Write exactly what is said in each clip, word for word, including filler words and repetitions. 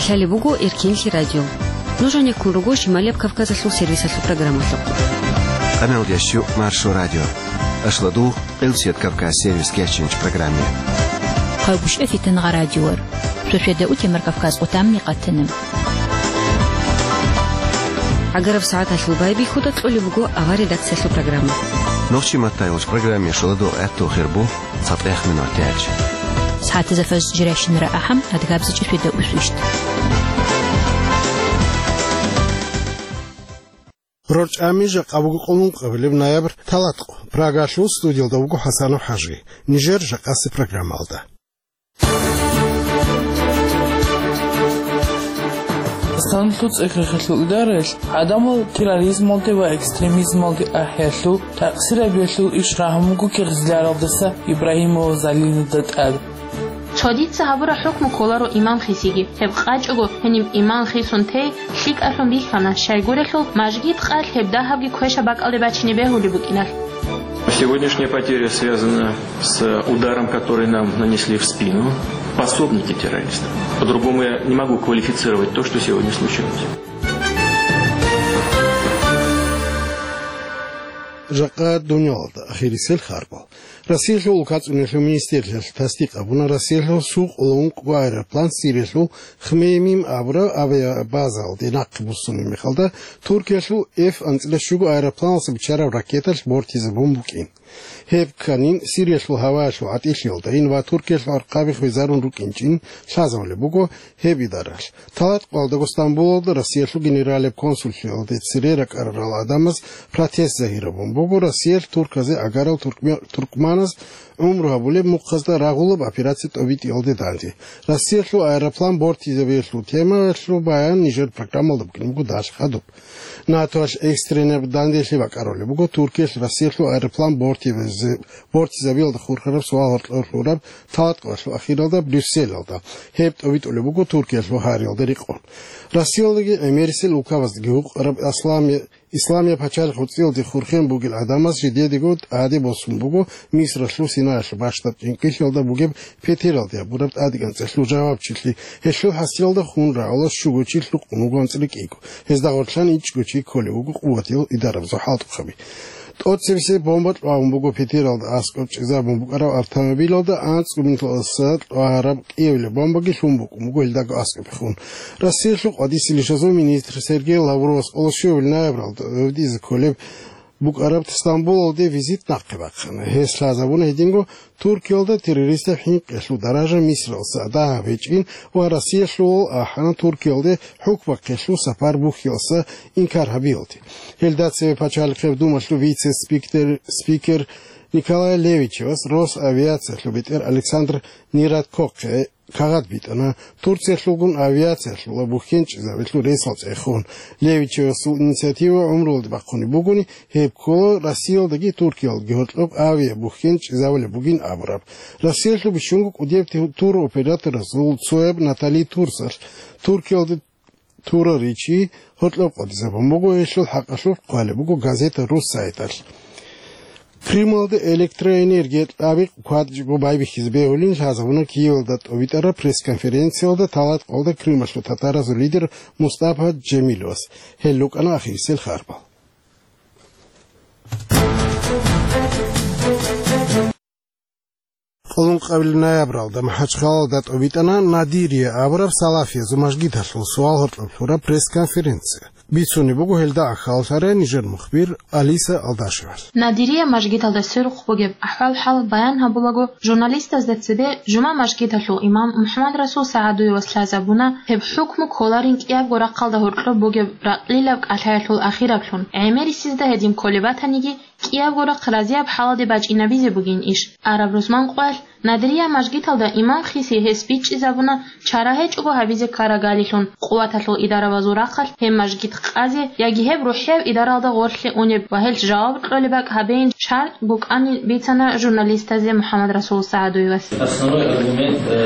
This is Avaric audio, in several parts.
Лъалеб буго Эркенлъи радио. Нуж гьанеккун руго Шималияб Кавказалъул сервисалъул программалъухъ. Къаналдиясчу Маршо радио. Ашладу Къилсият Кавказ сервис кечинч программе. Хъайбушев Фитангъа радиор. Шошеда утемар Кавказ отамни къатана. ГӀагараб сагӀаталъул байбихьуда кьолеб буго авар редакциялъул программа. Нохчи маттайулч программе шуладу гӀатту хирбу. ЦатӀех минут тяч. СагӀатазда фаз жирайщинара ахӀам, адгабзичӀеб шведа усвищт. РорчӀами жакъа буго къулун къабилеб ноябрь талатӀкъо. Прагалъул студиялда вуго ХӀасанов ХӀажи. Нижер жакъаси программалда. Дагъистаналъул цӀехехъалъул идараялъ гӀадамал терроризмалде ва экстремизмалде ахӀиялъул, такъсир гьабиялъул иш рагьун буго кигъзиларалдаса Ибрагьимова Залинада тӀад. Цо дица гьабураб хӀукму кколаро имам хисиги. Гьеб къачӀого, гьениб имам хисун тей лъикӀалъун бихьана, щайгурелъул мажгит къалъ гьеб дагьабги квешаб бакӀалде бачине бегьулеб букӀиналъ. Сегодняшняя потеря связана с ударом, который нам нанесли в спину пособники террористов. По-другому я не могу квалифицировать то, что сегодня случилось. Жакъа дуниялалда ахирисел харбал. Россиялъул улкацӀунелъул министрлъиялъ тасдикъ гьабуна, Россиялъул сукъулун къо аэроплан Сириялъул Хмеймим абураб авиабазалде нахъе буссунеб мехалда, Туркиялъул Эф анцӀила щуго аэропланалъа биччараб ракеталъ бортизабун букӀин. Гьеб кканин, Сириялъул гьаваялъул гӀатӀилъиялдайин ва Туркиялъул архъаби хвезарун рукӀинчӀин лъазабулеб буго гьеб идаралъ. ТалатӀкъоялдаго Стамбулалда Россиялъул генералияб консуллъиялде цере ракӀарарал гӀадамаз протест загьирабун буго Россиялъ турказе гӀагарал туркме-, туркманаз гӀумру гьабулеб мухъазда рагъулаб операция тӀобитӀиялде данде. Россиялъул аэроплан бортизабиялъул темаялъул баян нижер программалда букӀине буго дагьалъ хадуб. НАТОялъ экстренаб данделъи бакӀарулеб буго Туркиялъ Россиялъул аэроплан бортизаби-, бортизабиялда хурхараб суал гьоркьор лъураб талатӀкъоялъул ахиралда Брюсселалда. Гьеб тӀобитӀулеб буго Туркиялъул гьариялда рекъон. Россиялдаги гӀемерисел улкабаздаги гьукъараб аслам Исламияб пачалихъ гьуцӀиялде хурхен бугел гӀадамаз жидедаго тӀаде босун буго Мисралъул Синаялъул бащдаб чӀинкӀиллъиялда бугеб Петералде гьабураб тӀадегӀанцӀалъул жавабчилъи, гьелъул хӀасиялда хун рагӀула щуго чи лъукъун вуго анцӀила кӀиго, гьезда гъорлъан ичӀго чи кколев вуго къуватиял идарабазул хӀалтӀухъаби. ТӀоцебесеб бомба кьвагьун буго Петералда аскӀоб чӀезабун букӀараб автомобилалда, анцӀго минуталдаса кьвагьараб кӀиявилаб бомбаги лъун букӀун буго гьелдаго аскӀобе хун. Россиялъул къватӀиса лишазул министр Сергей Лавровас къоло щуябилеб ноябралда гӀодизе кколеб букӀараб Стамбулалде визит нахъе бахъана. Гьес лъазабуна гьединго Туркиялда террористаб хӀинкъиялъул даража Мисралъа дагьаб гьечӀин ва Россиялъул ахӀана Туркиялде хӀукмахъелъул сапар бухьиялъа инкар гьабиялде. Гьелда цеве Пачалихъеб Думалъул вице-спикер, спикер Николай Левичевас Росавиациялъул бетӀер Александр Нирадкохъе кагъат битӀана, Турциялъулгун авиациялъул ва бухьенчӀезабилъул ресал цӀехун. Левичевасул инициатива гӀумруялде бахъунеб бугони, гьеб ккола Россиялдаги Туркиялдаги гьоркьоб авиабухьен чӀезабулеб бугин абураб. Россиялъул бищунго кӀудияб тур-, туроператоразул цояб Натали Турсалъ Туркиялде тураричи гьоркьоб къватӀизабун буго, гьелъул хӀакъалъулъ хъвалеб буго газета «Руссайталъ». Крымалда электроэнергия тӀаби кватӀичӀого байбихьизе бегьулин лъазабуна Киевалда тӀобитӀараб пресс-конференциялда талатӀкъоялда Крымалъул татаразул лидер Мустапа Джемилевас. Гьел рукӀана ахирисел харбал. Къулун къабил ноябралда МахӀачхъалалда тӀобитӀана Надирия абураб салафиязул мажгиталъул суал гьоркьоб лъураб пресс-конференция. Бицунеб буго гьелда ахьаллъарай нижер мухбир Алиса Алдашевалъ. Надирия мажгиталда сверухъ бугеб ахӀвал-хӀал баян гьабулаго, журналистазда цебе жума мажгиталъул имам МухӀаммадрасул СагӀадуевас лъазабуна, гьеб хӀукму кколарин кӀиябго рахъалда гьоркьоб бугеб ракьлилаб кӀалъаялъул ахираблъун, гӀемерисезда гьедин кколеб батаниги, кӀиябго рахъ разияб хӀалалде бачӀинабизе бугин иш. Араб рузман къоялъ Надрия мажгиталда имам хиси гьес бичӀчӀизабуна чара гьечӀого гьабизе ккарагалилъун. Къуваталъул идаравазул рахъалъ гьеб мажгит къазе яги гьеб рухӀияб идаралда гъорлъе унеб ва гьелъ жаваб кьолеб бакӀ гьабейин шартӀ букӀанин бицана журналистазе МухӀаммадрасул СагӀадуевас. Основной аргумент, э,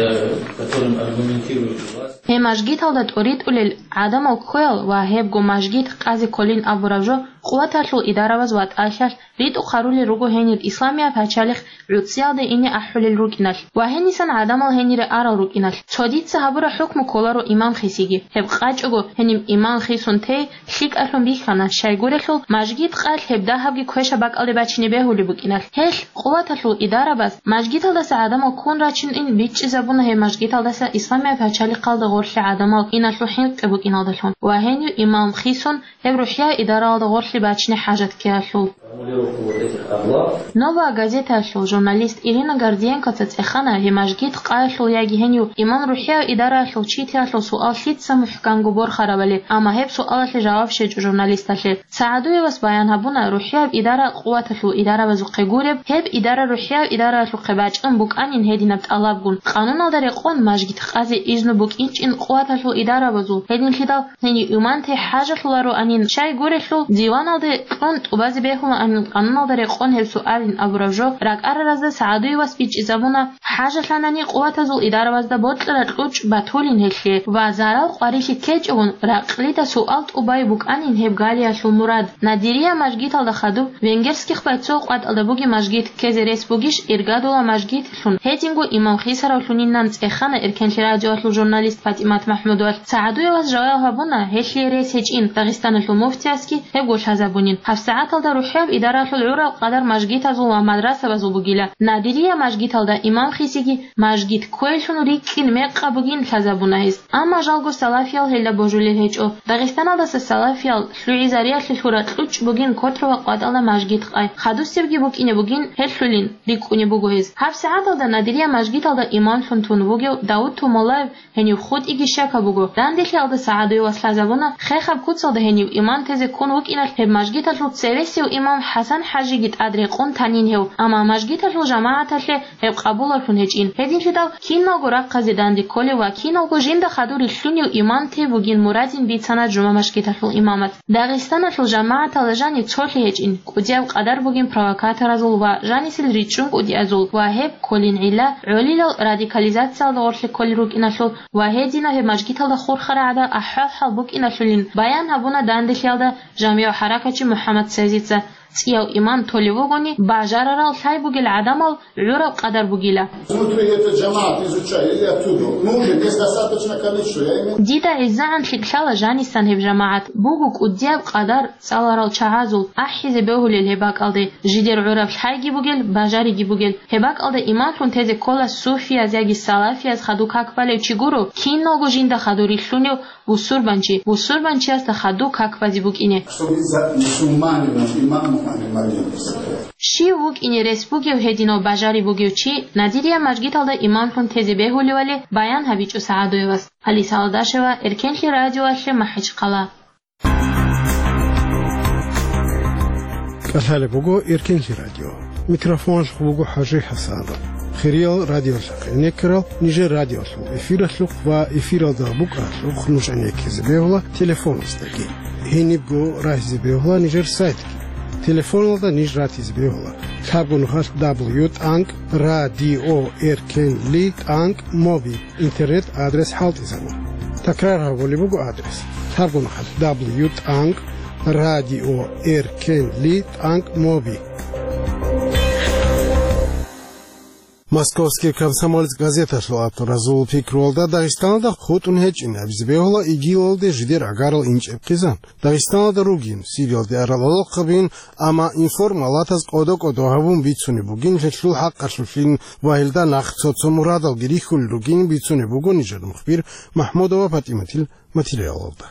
которым аргументирует власть. Гьеб мажгиталда тӀоритӀулел гӀадамал ккоял ва гьебго мажгит къазе кколин абураб жо къуваталъул идараваз ватӀалъиялъ ритӀухъ гьарулел руго гьенир исламияб пачалихъ гӀуцӀиялде ине ахӀулел рукӀиналъ ва гьенисан гӀадамал гьенире арал рукӀиналъ. Цо дица гьабураб хӀукму кколаро имам хисиги. Гьеб къачӀого, гьениб имам хисун тей лъикӀалъун бихьана, щайгурелъул мажгит къай гьеб дагьабги квешаб бакӀалде бачине бегьулеб букӀиналъ. Гьелъ къуваталъул идарабаз мажгиталдаса гӀадамал ккун рачинин бичӀчӀизабуна гьеб мажгиталдаса исламияб пачалихъалда гъорлъи гӀадамал иналъул хӀинкъи букӀиналдалъун ва гьенив имам хисун гьеб рухӀияв идараялда гъорлъи бачине хӀажат ккеялъул. Формулировку вот этих обвал. «Новая газетаялъул» журналист Ирина Гордиенкоца цӀехана гьеб мажгит къаялъул яги гьенив имам рухӀияв идараялъул читиялъул суал лъица мухӀканго борхарабали, амма гьеб суалалъе жаваб щвечӀо журналисталъе. СагӀадуевас баян гьабуна, рухӀияв идара къуваталъул идаравазухъе гуреб, гьеб идара рухӀияв идараялъухъе бачӀун букӀанин гьединаб тӀалабгун, къануналда рекъон мажгит къазе изну букӀинчӀин къуваталъул идаравазул, гьединлъидал гьенив имам те хӀажалъулароанин, щайгурелъул диваналде кьун тӀубазе бегьулаанин къануналда рекъон гьеб суалин абураб жо ракӀараразда СагӀадуевас бичӀчӀизабуна, хӀажалъанани къуватазул идаравазда бокьараб кьучӀ батулин гьелъе ва зарал къварилъи ккечӀогун ракълида суал тӀубай букӀанин гьеб галиялъул мурад. Надирия мажгиталда хадуб, Венгерских байцо къватӀалда бугеб мажгит ккезе рес бугищ Иргадула мажгит лъун, гьединго имам хисаравлъунинан цӀехана Эркенлъи радиоялъул журналист ПатӀимат МахӀмудовалъ. СагӀадуевас жаваб гьабуна, гьелъие рес гьечӀин, Дагъистаналъул муфтиясги гьебго лъазабунин. ГьабсагӀаталда рухӀияб идараялъул гӀураб къадар мажгитазул ва мадрасабазул бугила. Надирия мажгиталда имам хисиги мажгит кквейлъун рикӀкӀин мекъаб бугин лъазабуна гьес. Амма жалго салафиял гьелда божулел гьечӀо. Дагъистаналдаса салафиял лъугӀизариялъе лъура кьучӀ бугин Котрово къватӀалда мажгит къай. Хадусебги букӀине бугин гьелъулин рикӀкӀунеб буго гьез. ГьабсагӀаталда Надирия мажгиталда имамлъун тун вугев Давуд Тумалаев гьенив хутӀиги щакаб буго. Данделъиялда СагӀадуевас лъазабуна, хехаб куцалда гьенив имам тезе ккун вукӀиналъ гьеб мажгиталъул цевесев имам ХӀасан-хӀажиги тӀад рекъон танин гьев, амма мажгиталъул жамагӀаталъе гьеб къабулалъун гьечӀин. Гьединлъидал киналго рахъазе данде кколев ва киналго жинда хадур рилълъунев имам те бугин мурадин бицана жума мажгиталъул имамас. Дагъистаналъул жамагӀаталда жанив цолъи гьечӀин, кӀудияб къадар бугин провокаторазул ва жанисел ричӀчӀун кӀудиязул ва гьеб кколин гӀилла гӀолилал радикализациялда гъорлъе кколел рукӀиналъул ва гьединаб гьеб мажгиталда хурхарал гӀадал ахӀвал-хӀал букӀиналъулин баян гьабуна данделъиялда жамигӀ хӀаракатчи МухӀаммад Сезица. ЦӀияв имам толев вугони, бажарарал лъай бугел гӀадамал гӀураб къадар бугила. Внутри этот джамаат изучали или оттуда. Ну, уже есть достаточно количество, я имею. Дида гӀезегӀан лъикӀлъала жанисан гьеб жамагӀат. Буго кӀудияб къадар цӀаларал чагӀазул, ахӀизе бегьулел гьеб бакӀалде, жидер гӀураб лъайги бугел, бажариги бугел. Гьеб бакӀалда имамлъун тезе ккола суфияз яги салафияз хадур как балев чи гуро, киналго жинда хадур рилълъунев бусурбанчи, бусурбанчиясда хадур как базе букӀине. Чтобы за мусульманином имамом они могли выступать. Щив вукӀине рес бугев гьединав бажари бугев чи Надирия мажгиталда имамлъун тезе бегьулевали баян гьабичӀо СагӀадуевас. Алиса Алдашева, Эркенлъи радиоялъе, МахӀачхъала. КӀалъалеб буго Эркенлъи радио. Микрофоналъухъ буго ХӀажи ХӀасанов. Хириял радиолъахъ гӀенеккарал нижер радиолъул эфиралъухъ ва эфиралда букӀаралъухъ нуж гӀенеккизе бегьула телефоназдаги. Гьенибго рагьизе бегьула нижер сайтги. Телефоналда ниж ратизе бегьула: лъабго нухалъ дабл ю тӀанкӀ радио эркенли тӀанкӀ моби. Интернет-адрес хӀалтӀизабун. Такрар гьабулеб буго адрес: лъабго нухалъ дабл ю тӀанкӀ радио эркенли тӀанкӀ моби. Московский комсомолец газеталъул авторазул пикруялда, Дагъистаналда хутӀун гьечӀин абизе бегьула ИГИЛалде жидер гӀагарал инчӀеб хъизан. Дагъистаналда ругин, Сириялде арал гӀолохъабин, амма информалатаз кӀодо-кӀодо гьабун бицунеб бугин гьелъул хӀакъалъулъин ва гьелда нахъ цо-цо мурадалги рихьулел ругин бицунеб буго нижер мухбир МахӀмудова ПатӀиматил материалалда.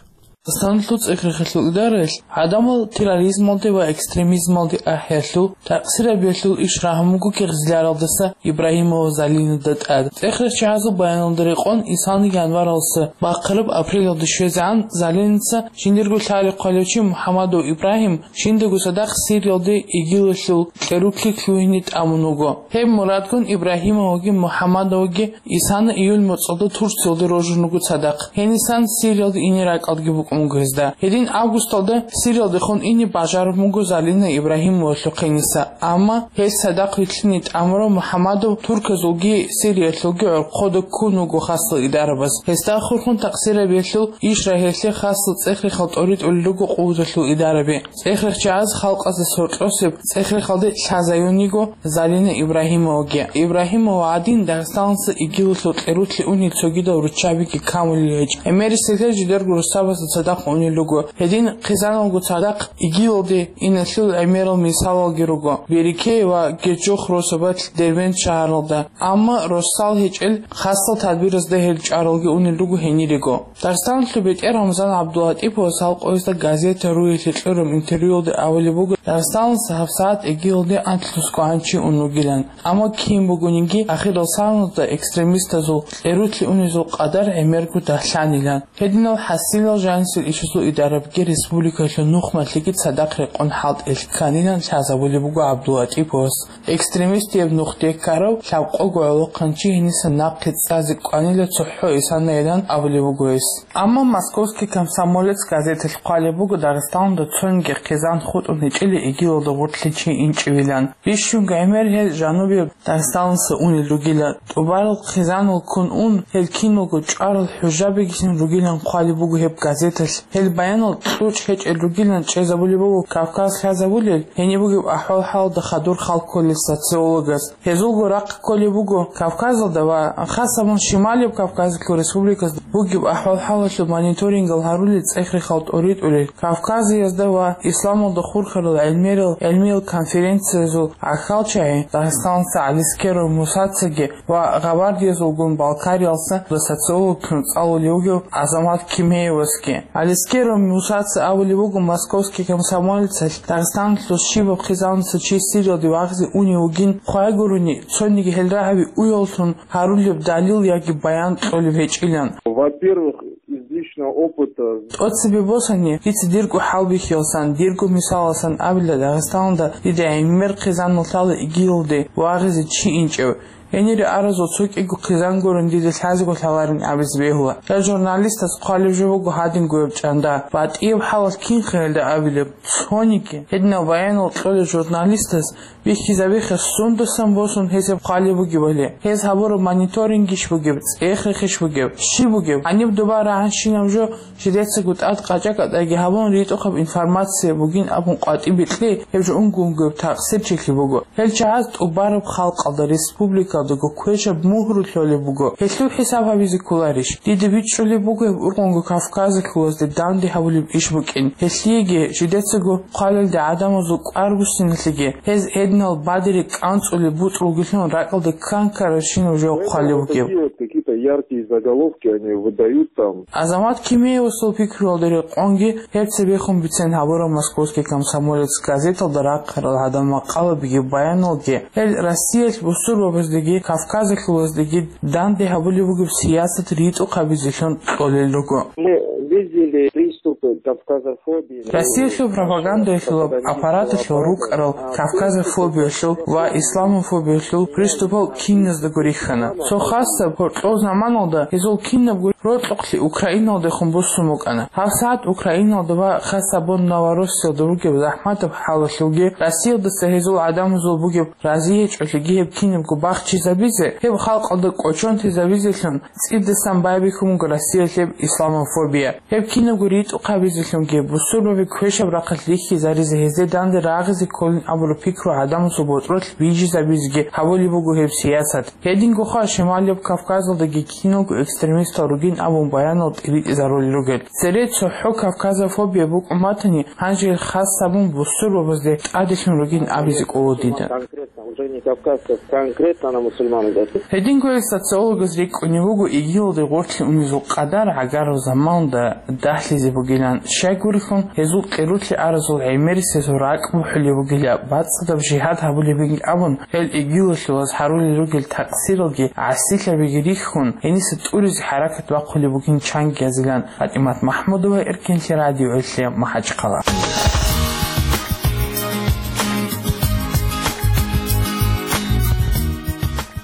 Дагъистаналъул цӀехарахъалъул идараялъ гӀадамал терроризмалде ва экстремизмалде ахӀиялъул, такъсирабиялъул иш рагьун буго кигӀзиларалдаса Ибрагьимова Залинада тӀад. ЦӀехарачагӀазул баяналда рекъон, исални январалдаса бахъараб апрелалде щвезегӀан Залинаца жиндирго лъади хъвалев чи МухӀамадов Ибрагьим жиндаго цадахъ Сириялде ИГИЛалъул кьеруклъи лъугьине тӀамун вуго. Гьеб мурадгун Ибрагьимоваги МухӀамадоваги исана июль моцӀалда Турциялде рожун руго цадахъ. Гьенисан Сириялде ине ракӀалдги букӀун. буго гьезда. Гьедин августалда Сириялдехун ине бажараб буго Залина Ибрагьимовалъухъе гьениса, амма гьес цадахъ вилълъине тӀамурав МухӀаммадов турказулги Сириялъулги гӀорхъода ккун вуго хасал идарабаз. Гьесда хурхун такъсир гьабиялъул иш рагьиялъе хасал цӀех-рехал тӀоритӀулел руго къуваталъул идараби. ЦӀех-рехчагӀаз халкъазда соркьосеб цӀех-рехалде лъазаюн йиго Залина Ибрагьимоваги. Ибрагьимова гӀадин, Дагъистаналдаса ИГИЛалъул кьерулъе унел цогидал руччабиги камулел гьечӀ. ГӀемерисеблъи жидерго росабазда цадахъ унел руго. Гьедин хъизаналго цадахъ ИГИЛалде иналъул гӀемерал мисалалги руго Берекей ва Гечох росабалъ Дербент шагьаралда. Амма росал гьечӀел хасал тадбиразда гьел чӀаралги унел руго гьенирего. Дагъистаналъул бетӀер Рамзан ГӀабдулатӀиповас гьал къоязда газета «Руялъе» кьураб интервьюялда абулеб буго, Дагъистаналдаса гьабсагӀат ИГИЛалде анлънусго гӀан чи ун ругилан. Амма кин бугониги, ахирал саналда экстремистазул кьерулъе унезул къадар гӀемерго дагьлъанилан. Гьединал хӀасилал жанисел ишазул идарабиги республикалъул нухмалъиги цадахъ рекъон хӀалтӀилъ кканилан лъазабулеб буго ГӀабдулатӀиповас. Экстремистияб нух деккарав лъабкъого гӀолохъанчи гьениса нахъе цӀазе кӀванила цохӀо исанайилан абулеб буго гьес. Амма «Московский комсомолец» газеталъ хъвалеб буго, Дагъистаналда цониги хъизан хутӀун гьечӀила ИГИЛалда гъоркьлъи чи инчӀевилан. Бищунго гӀемер гьел жанубияб Дагъистаналдаса унел ругила. ТӀубарал хъизанал ккун ун, гьел киналго чӀварал хӀужабигилъун ругилан хъвалеб буго гьеб газеталъ. Гьел баянал кьучӀ гьечӀел ругилан чӀезабулеб буго Кавказ лъазабулел, гьениб бугеб ахӀвал-хӀалалда хадур хал кколел социологаз. Гьезулго рахъ кколеб буго Кавказалда ва хасабун Шималияб Кавказалъул республиказда бугеб ахӀвал-хӀалалъул мониторингал гьарулел цӀех-рехал тӀоритӀулел, Кавказиязда ва исламалда хурхарал гӀелмерал, гӀелмиял конференциязул гӀахьалчагӀи Дагъистаналдаса ГӀалискеров Мусацаги ва гъабардиязулгун Балкариялдаса социологлъун цӀалулев вугев Азамат Кимеевасги. ГӀалискеров Мусаца абулеб буго «Московский комсомолецалъ», Дагъистаналъул щибаб хъизаналдаса чи Сириялде вагъизе унев вугин хъвай гурони, цониги гьел рагӀаби уяллъун гьарулеб далил яги баян кьолеб гьечӀилан. Во-первых, из личного опыта. ТӀоцебе босани, дица дирго хӀалбихьиялсан, дирго мисалалсан абила, Дагъистаналда дида гӀемер хъизанал лъала ИГИЛалде вагъизе чи инчӀев. Гьенире аразул цо кӀиго хъизан гурун дида лъазего лъаларин абизе бегьула. Гьел журналистаз хъвалеб жо буго гьадингояб чӀанда. БатӀияб хӀалалъ кинха гьелда абилеб? Цониги. Гьединаб баянал кьолел журналистаз бихьизабиха сундасан босун гьесеб хъвалеб бугебали. Гьез гьабураб мониторингищ бугеб, цӀех-рехищ бугеб, щиб бугеб? Гьаниб доба рагӀанщинаб жо жидецаго тӀад къачӀа-кӀатӀаги гьабун, ритӀухъаб информация бугин абун къватӀибе кье, гьеб жо унго-унгояб такъсирчилъи буго. Гьел чагӀаз тӀубараб халкъалда, республикалдаго квешаб мугьру лъолеб буго. Гьелъул хӀисаб гьабизе кколарищ? Дида бичӀчӀулеб буго гьеб ургъунго Кавказалъулазде данде гьабулеб иш букӀин. Гьелъиеги жидецаго хъвалелде гӀадамазул кӀвар буссиналъеги, гьез гьединал бадире кӀанцӀулеб буцӀрулгилъун ракӀалде ккан ккарабщинаб жо хъвалеб бугеб. Какие-то яркие заголовки они выдают там. Азамат Кимеевасул пикруялда рекъонги гьеб цебехун бицен гьабураб «Московский комсомолец» газеталда рахъарал гӀадамал макъалабиги баяналги, гьел Россиялъ бусурбабаздеги Кавказалъулаздеги данде гьабулеб бугеб сиясат ритӀухъабизелъун кьолел руго. Мы видели приступы кавказофобии. Россиялъул пропагандалъул аппараталъул рукӀарал кавказофобиялъул ва исламофобиялъул приступал киназдаго рихьана. Цо хасаб гьоркьов заманалда гьезул кинабго рокьукълъи Украиналдехун буссун букӀана. ГьабсагӀат Украиналда ва хасабун Новороссиялда ругеб захӀматаб хӀалалъулги Россиялдаса гьезул гӀадамазул бугеб разигьечӀолъиги гьеб кинабго бахчизабизе, гьеб халкъалда кӀочон тезабизелъун цӀидасан байбихьун буго Россиялъ гьеб исламофобия. Гьеб кинабго ритӀухъабизелъунги, бусурбаби квешаб рахъалъ рихьизаризе, гьезде данде рагъизе кколин абураб пикру гӀадамазул ботӀролъ бижизабизеги гьабулеб буго гьеб сиясат. Гьединго хъа Шималияб Кавказалдаги киналго экстремистал ругин абун баянал тӀибитӀизарулел ругел. Цере цохӀо кавказофобия букӀун батани, гьанже гьел хас гьабун бусурбабазде тӀаделъун ругин абизе кӀола дида. Конкретно, уже не кавказцев, конкретно на мусульман идет. Гьединго гьел социологаз рикӀкӀунев вуго ИГИЛалде гъорлъе унезул къадар гӀагарал заманалда дагьлъизе бугилан. Щайгурелъул гьезул кьерулъе аразул гӀемерисезул ракӀ бухӀулеб бугила, бацӀцӀадаб жигьад гьабулебин абун, гьел ИГИЛалъулаз гьарулел ругел такъсиралги гӀасилъабиги рихьун, гьениса тӀуризе хӀаракат бахъулеб бугин чангиязилан. ПатӀимат МахӀмудова, Эркенлъи радиоялъе, МахӀачхъала.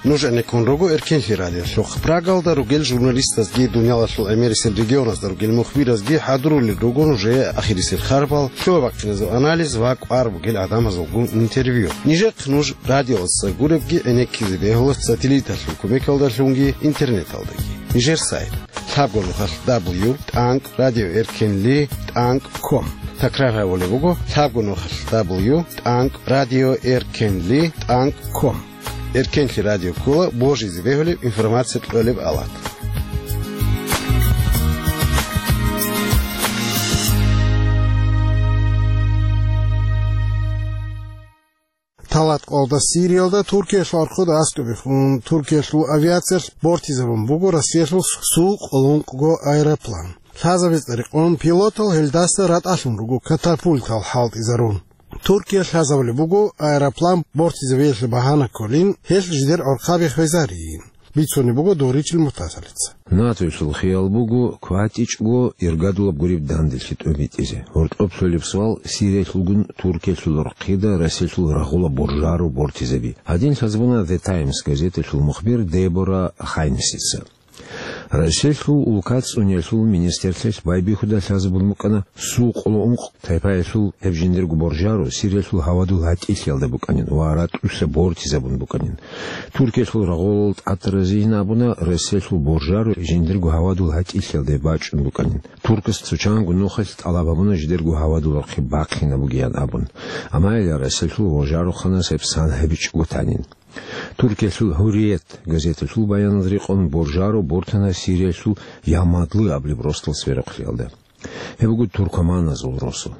Нуж гӀенеккун руго Эркенлъи радиолъухъ. Прагалда ругел журналистазги, дуниялалъул гӀемерисел регионазда ругел мухбиразги хӀадурулел руго нужее ахирисел харбал, лъугьа-бахъиназул анализ ва кӀвар бугел гӀадамазулгун интервью. Нижехъ нуж радиоялдаса гуребги гӀенеккизе бегьула сателлиталъул кумекалдалъунги интернеталдаги. Нижер сайт: лъабго нухалъ дабл ю тӀанкӀ радио эркенли тӀанкӀ ком. Такрар гьабулеб буго: лъабго нухалъ дабл ю тӀанкӀ радио эркенли тӀанкӀ ком. Эркенлъи радио ккола божизе бегьулеб информация кьолеб авал. Талат къоялда Сириялда Туркиялъул архуда аскӀобехун, Туркиялъул авиациялъ бортизабун буго Россиялъул Су къоло ункъго аэроплан. Лъазабица рекъон пилотал гьелдаса ратӀалъун руго катапультал хӀалтӀизарун. Туркия лъазабулеб буго аэроплан бортизабиялъе багьана кколин, гьелъ жидер гӀорхъаби хвезарин, бицунеб буго Доричил Муртазалица. НАТОялъул хиял буго кватӀичӀго иргадулаб гуреб данделъи тӀобитӀизе. Гьоркьоб лъолеб суал: Сириялъулгун Туркиялъул рахъида Россиялъул рагъула боржаро бортизаби? Гьадин лъазабуна The Times газеталъул мухбир Дебора Хайнсица. Россиялъул улка цӀуниялъул министрлъиялъ байбихьуда лъазабун букӀана Су къоло ункъ тайпаялъул гьеб жиндирго боржаро Сириялъул гьавадул гьатӀилъиялда букӀанин ва ратӀлъуса бортизабун букӀанин. Туркиялъул рагъулал тӀад разиин абуна Россиялъул боржаро жиндирго гьавадул гьатӀилъиялда бачӀун букӀанин. Туркас цо чанго нухалъ тӀалаб гьабуна жидерго гьавадул рахъи бахъинабугеян абун. Амма гьеле Россиялъул боржарохъанас гьеб сан гьабичӀого танин. Туркиялъул Гьурриет газеталъул баяналда рекъон боржаро бортана Сириялъул Ямадлы абулеб росдал сверухълъиялда. Гьеб буго туркоманазул росу.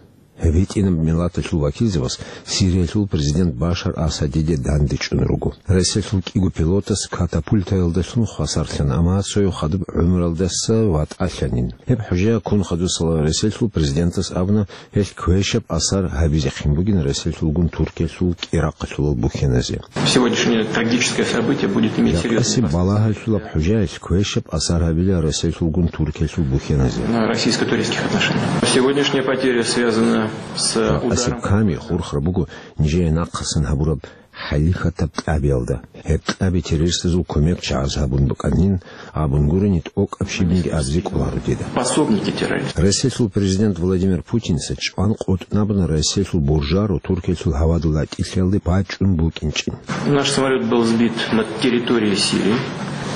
Гьеб гьитӀинаб миллаталъул вакилзабаз Сириялъул президент Башар Асадиде данде чӀун руго. Россиялъул кӀиго пилотас катапультаялдалъун хвасарлъана, амма цояв хадуб гӀумруялдаса ватӀалъанин. Гьеб хӀужа ккун хадусала Россиялъул президентас абуна, гьелъ квешаб асар гьабизехъин бугин Россиялъулгун Туркиялъул кӀирахъалъулал бухьеназе. Сегодняшнее трагическое событие будет иметь серьёзные последствия. Балагьалъулаб хӀужаялъ квешаб асар гьабила Россиялъулгун Туркиялъул бухьеназе. На российско-турецких отношениях. Сегодняшняя потеря связана с ударом. Ками хурхар буго нижее нахъасан гьабураб хӀалихьатаб кьабиялда. Гьеб кьаби террористазул кумекчагӀаз гьабун букӀанин, абун гурони, тӀокӀаб щибниги абизе кӀоларо дида. Пособники террористов. Россиялъул президент Владимир Путинца чӀван къотӀнабуна Россиялъул боржаро Туркиялъул гьавадул гьатӀилъиялде бачӀун букӀинчӀин. Наш самолёт был сбит над территорией Сирии.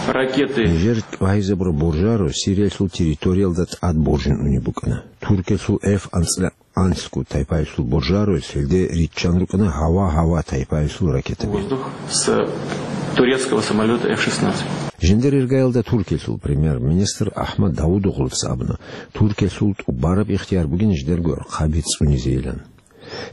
Ракеты. Нижер тӀвагьизабураб боржаро Сириялъул территориялда тӀад боржун унеб букӀана. Туркиялъул Эф анцӀила анлъго тайпаялъул боржароялъ гьелде риччан рукӀана гьава-гьава тайпаялъул ракетаби. Воздух с турецкого самолёта Эф шестнадцать. Жиндир иргаялда Туркиялъул премьер-министр Ахмад Давудоглуца абуна, Туркиялъул тӀубараб ихтияр бугин жидерго гӀорхъаби цӀунизейилан.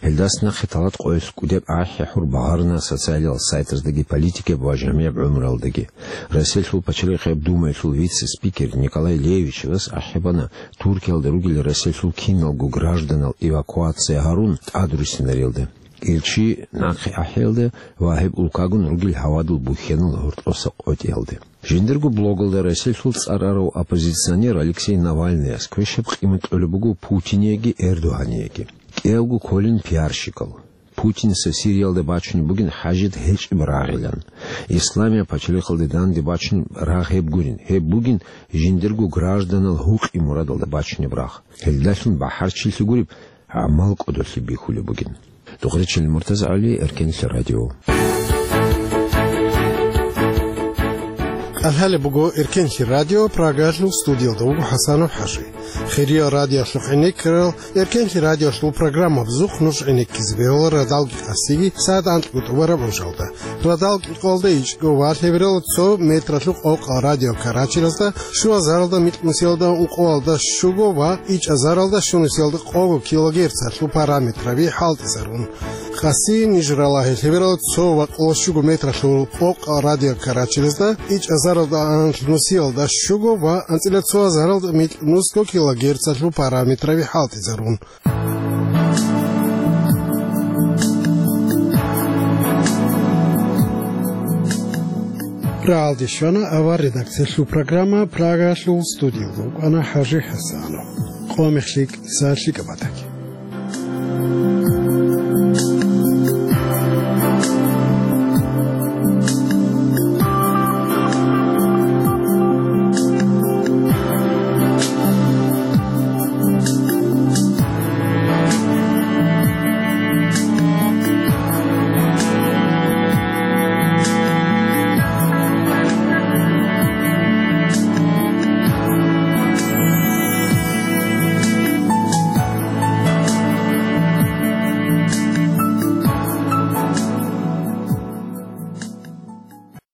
Гьелдас нахъе талат къоялъ кӀудеб ахӀи-хӀур багъарна социалияб сайтаздаги, политикияб ва жамигӀаб гӀумруялдаги. Россиялъул пачалихъияб Думаялъул вице-спикер Николай Левичевас ахӀи бана, Туркиялда ругел Россиялъул киналго гражданал эвакуация гьарун тӀадруссинариялда, Керчи нахъе ахӀиялда ва гьеб улкагун ругел гьавадул бухьенал гьоркьоса къотӀиялда. Жиндирго блогалда Россиялъул цӀар арав оппозиционер Алексей Навальныяс квешаб къимат кьолеб буго Путинеги Эрдогьанеги. КӀиявго кколин пиарщикал. Путинца Сириялда бачунеб бугин хӀажат гьечӀеб рагъилан. Исламияб пачалихъалде данде бачунеб рагъ гьеб гурин. Гьеб бугин жиндирго гражданал гьукъи-мурадалда бачунеб рагъ. Гьелдалъун бахӀарчилъи гуреб, гӀамал кӀодолъи бихьулеб бугин. Духъричил МуртазагӀали, Эркенлъи радио. КӀалъалеб буго Эркенлъи радио, Прагалъул студиялда вуго ХӀасанов ХӀажи. Хириял радиолъухъ гӀенеккарал, Эркенлъи радиолъул программабазухъ нуж гӀенеккизе бегьула радалги къасиги сагӀат анкьго тӀубараб гӀужалда. Радал кӀикъоялда ичӀго ва лъебералда цо метралъухъ къокъал радио Карачилазда, щуазаралда микьнусиялда ункъоялда щуго ва ичӀазаралда щунусиялда къого килогерцалъул параметраби хӀалтӀизарун. Къаси ниж ралагье лъебералда цо ва къоло щуго метралъухъ къокъал радио Карачилазда, ичӀазаралда анкьнусиялда щуго ва анцӀила цоазаралда микьнусго килогерцалъул параметраби хӀалтӀизарун. Рагьалде щвана авар редакциялъул программа, Прагалъул студиялда вукӀана ХӀажи ХӀасанов. Къо-мех лъикӀ, сагӀат лъикӀаб батаги.